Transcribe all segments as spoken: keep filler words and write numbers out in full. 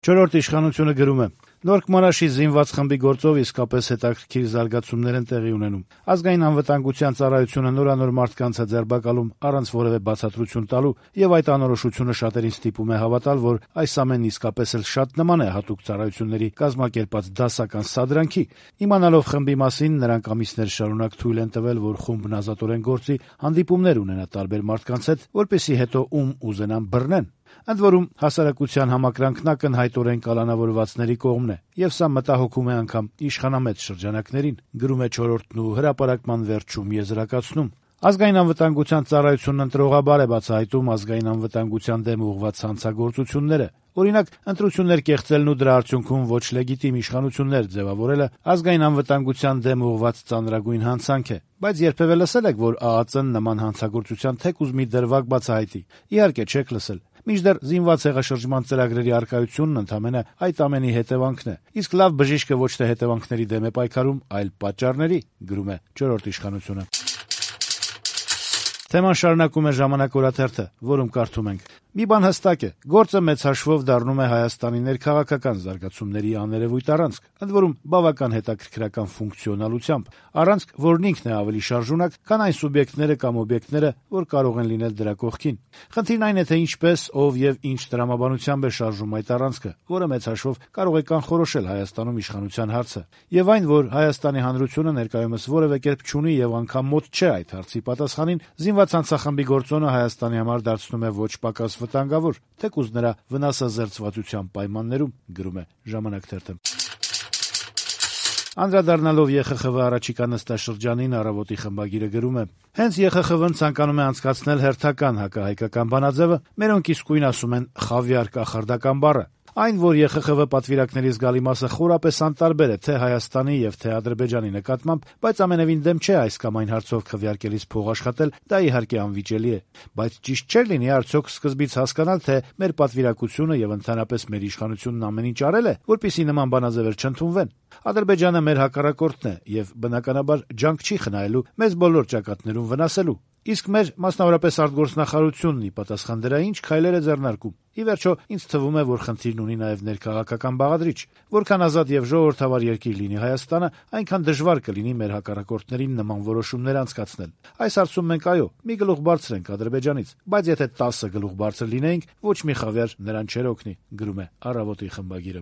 Չորրորդ իշխանությունը գրում է. Նոր Կմարաշի զինված խմբի գործով իսկապես հետաքրքիր զարգացումներ են տեղի ունենում։ Ազգային անվտանգության ծառայությունը նորանոր մարդկանց է ձերբակալում առանց որևէ բացատրություն տալու, եւ այդ անորոշությունը շատերին ստիպում է հավատալ, որ այս ամենն իսկապես էլ շատ նման է հատուկ ծառայությունների կազմակերպած դասական սադրանքի։ Իմանալով խմբի մասին, նրանք ամիսներ շարունակ թույլ են տվել, որ խումբն ազատորեն գործի, հանդիպումներ ունենա տարբեր մարդկանց հետ, որպեսզի հետո ում ուզենան բռնեն։ Ընդ որում հասարակության համակրանքն ակնհայտորեն կալանավորվածների կողմն է, եւ սա մտահոգում է անգամ իշխանամետ շրջանակներին, գրում է չորրորդն ու հրապարակման վերջում եզրակացնում։ Ազգային անվտանգության ծառայությունն ընտրողաբար է բացահայտում ազգային անվտանգության դեմ ուղղված հանցագործությունները։ Օրինակ, ընտրություններ կեղծելն ու դրա արդյունքում ոչ լեգիտիմ իշխանություններ ձևավորելը ազգային անվտանգության դեմ ուղղված ծանրագույն հանցանք է։ Բայց երբևէ լսել եք, որ ԱԱԾ-ն նման հանցագործության թեկուզ մի դրվագ բացահայտի։ Իհարկե չեք լսել։ Մինչդեռ զինված հեղաշրջման ծրագրերի առկայությունն ընդամենը այդ ամենի հետևանքն է։ Իսկ լավ բժիշկը ոչ թե հետևանքների դեմ է պայքարում, այլ պատճառների, գրում է չորրորդ իշխանությունը։ Թեման շարունակում է «Ժամանակ» օրաթերթը, որում կարդում ենք. Մի բան հստակ է, գործը մեծ հաշվով դառնում է Հայաստանի ներքաղաքական զարգացումների աներևույթ առանցք, ընդ որում բավական հետաքրքրական ֆունկցիոնալությամբ, առանցք, որն ինքն է ավելի շարժունակ, քան այն սուբյեկտները կամ օբյեկտները, որ կարող են լինել դրա կողքին։ Խնդիրն այն է, թե ինչպես, ով եւ ինչ տրամաբանությամբ է շարժում այդ առանցքը, որը մեծ հաշվով կարող է կանխորոշել Հայաստանում իշխանության հարցը, եւ այն, որ Հայաստանի Հանրությունը ներկայումս որևէ կերպ չունի եւ անգամ մոտ չէ այդ հարցի պատասխանին, զինված հանցախմբի գործոնը Հայաստանի համար դարձնում է ոչ պակաս վտանգավոր, թեկուզ նրա վնասազերծվածության պայմաններում, գրում է «Ժամանակ» թերթը։ Անդրադառնալով ԵԽԽՎ առաջիկա նստաշրջանին, «Առավոտ»-ի խմբագիրը գրում է. Հենց ԵԽԽՎ-ն ցանկանում է անցկացնել հերթական հակահայկական բանաձևը, մերոնք իսկույն ասում են «խավիար կախարդական» բառը։ Այն, որ ԵԽԽՎ պատվիրակների զգալի մասը խորապես անտարբեր է թե Հայաստանի եւ թե Ադրբեջանի նկատմամբ, բայց ամենևին դեմ չէ այս կամ այն հարցով քվեարկելիս փող աշխատել, դա իհարկե անվիճելի է։ Բայց ճիշտ չէր լինի արդյոք սկզբից հասկանալ, թե մեր պատվիրակությունը եւ ընդհանրապես մեր իշխանությունն ամեն ինչ արել է, որպեսզի նման բանաձևեր չընդունվեն։ Ադրբեջանը մեր հակառակորդն է եւ բնականաբար ջանք չի խնայելու մեզ բոլոր ճակատներում վնասելու։ Իսկ մեր, մասնավորապես արտգործնախարարությունն ի պատասխան դրա ինչ քայլեր է ձեռնարկում։ Ի վերջո, ինձ թվում է, որ խնդիրն ունի նաեւ ներքաղաքական բաղադրիչ։ Որքան ազատ եւ ժողովրդավար երկիր լինի Հայաստանը, այնքան դժվար կլինի մեր հակառակորդներին նման որոշումներ անցկացնել։ Այս հարցում մենք այո, մի գլուխ բարձր ենք Ադրբեջանից, բայց եթե տասը գլուխ բարձր լինեինք, ոչ մի խավիար նրան չէր օգնի, գրում է «Առավոտ»-ի խմբագիրը։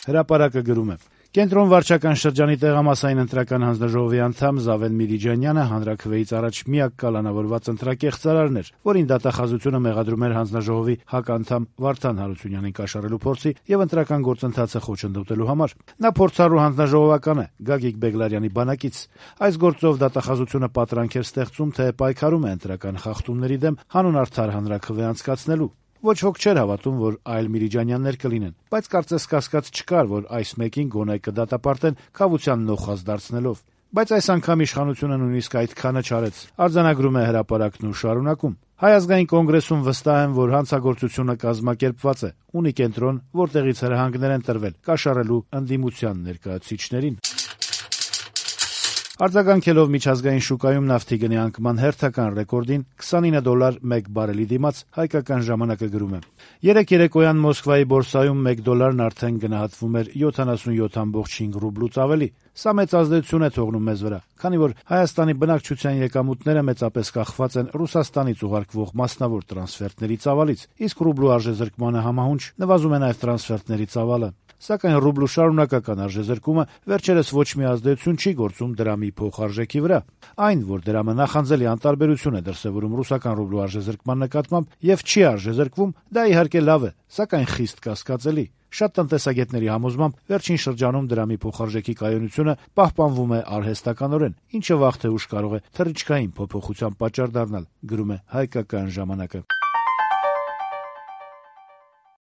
Հրապարակը գրում է. Կենտրոն վարչական շրջանի տեղամասային ընտրական հանձնաժողովի անդամ Զավեն Միլիջանյանը հանրաքվեից առաջ միակ կալանավորված ընտրակեղծարարն էր, որին դատախազությունը մեղադրում էր հանձնաժողովի հականդամ Վարդան Հարությունյանին կաշառելու փորձի եւ ընտրական գործընթացը խոչընդոտելու համար։ Նա փորձառու հանձնաժողովական է, Գագիկ Բեգլարյանի բանակից։ Այս գործով դատախազությունը պատրանք էր ստեղծում, թե պայքարում է ընտրական խախտումների դեմ հանուն արդար հանրաքվե անցկացնելու։ Ոչ ոք չէր հավատում, որ այլ Միլիջանյաններ կլինեն, բայց կարծես կասկած չկար, որ այս մեկին գոնե կդատապարտեն քավության նոխազ դարձնելով։ Բայց այս անգամ իշխանությունը նույնիսկ այդքանը չարեց։ Արձանագրում է հրապարակն ու շարունակում. Հայ ազգային կոնգրեսում վստահ են, որ հանցագործությունը կազմակերպված է, ունի կենտրոն, որտեղից հրահանգներ են տրվել կաշառելու ընդդիմության ներկայացուցիչներին։ Արձագանքելով միջազգային շուկայում նավթի գնի անկման հերթական ռեկորդին քսանինը դոլար մեկ բարելի դիմաց, հայկական ժամանակը գրում է. Երեկ երեկոյան Մոսկվայի բորսայում մեկ դոլարն արդեն գնահատվում էր յոթանասունյոթ կόμμα հինգ ռուբլուց ավելի։ Սա մեծ ազդեցություն է թողնում մեզ վրա, քանի որ Հայաստանի բնակչության եկամուտները մեծապես կախված են Ռուսաստանից ուղարկվող մասնավոր տրանսֆերտների ծավալից, իսկ ռուբլու արժեզրկմանը համահունչ նվազում է նաև տրանսֆերտների ծավալը։ Սակայն ռուբլու շարունակական արժեզրկումը վերջերս ոչ մի ազդեցություն չի գործում դրամի փոխարժեքի վրա։ Այն, որ դրամը նախանձելի անտարբերություն է դրսևորում ռուսական ռուբլու արժեզրկման նկատմամբ եւ չի արժեզրկվում, դա իհարկե լավ է, սակայն խիստ կասկածելի։ Շատ տնտեսագետների համոզմամբ վերջին շրջանում դրամի փոխարժեքի կայունությունը պահպանվում է արհեստականորեն, ինչը վաղ թե ուշ կարող է թռիչքային փոփոխության պատճառ դառնալ, գրում է հայկական ժամանակը։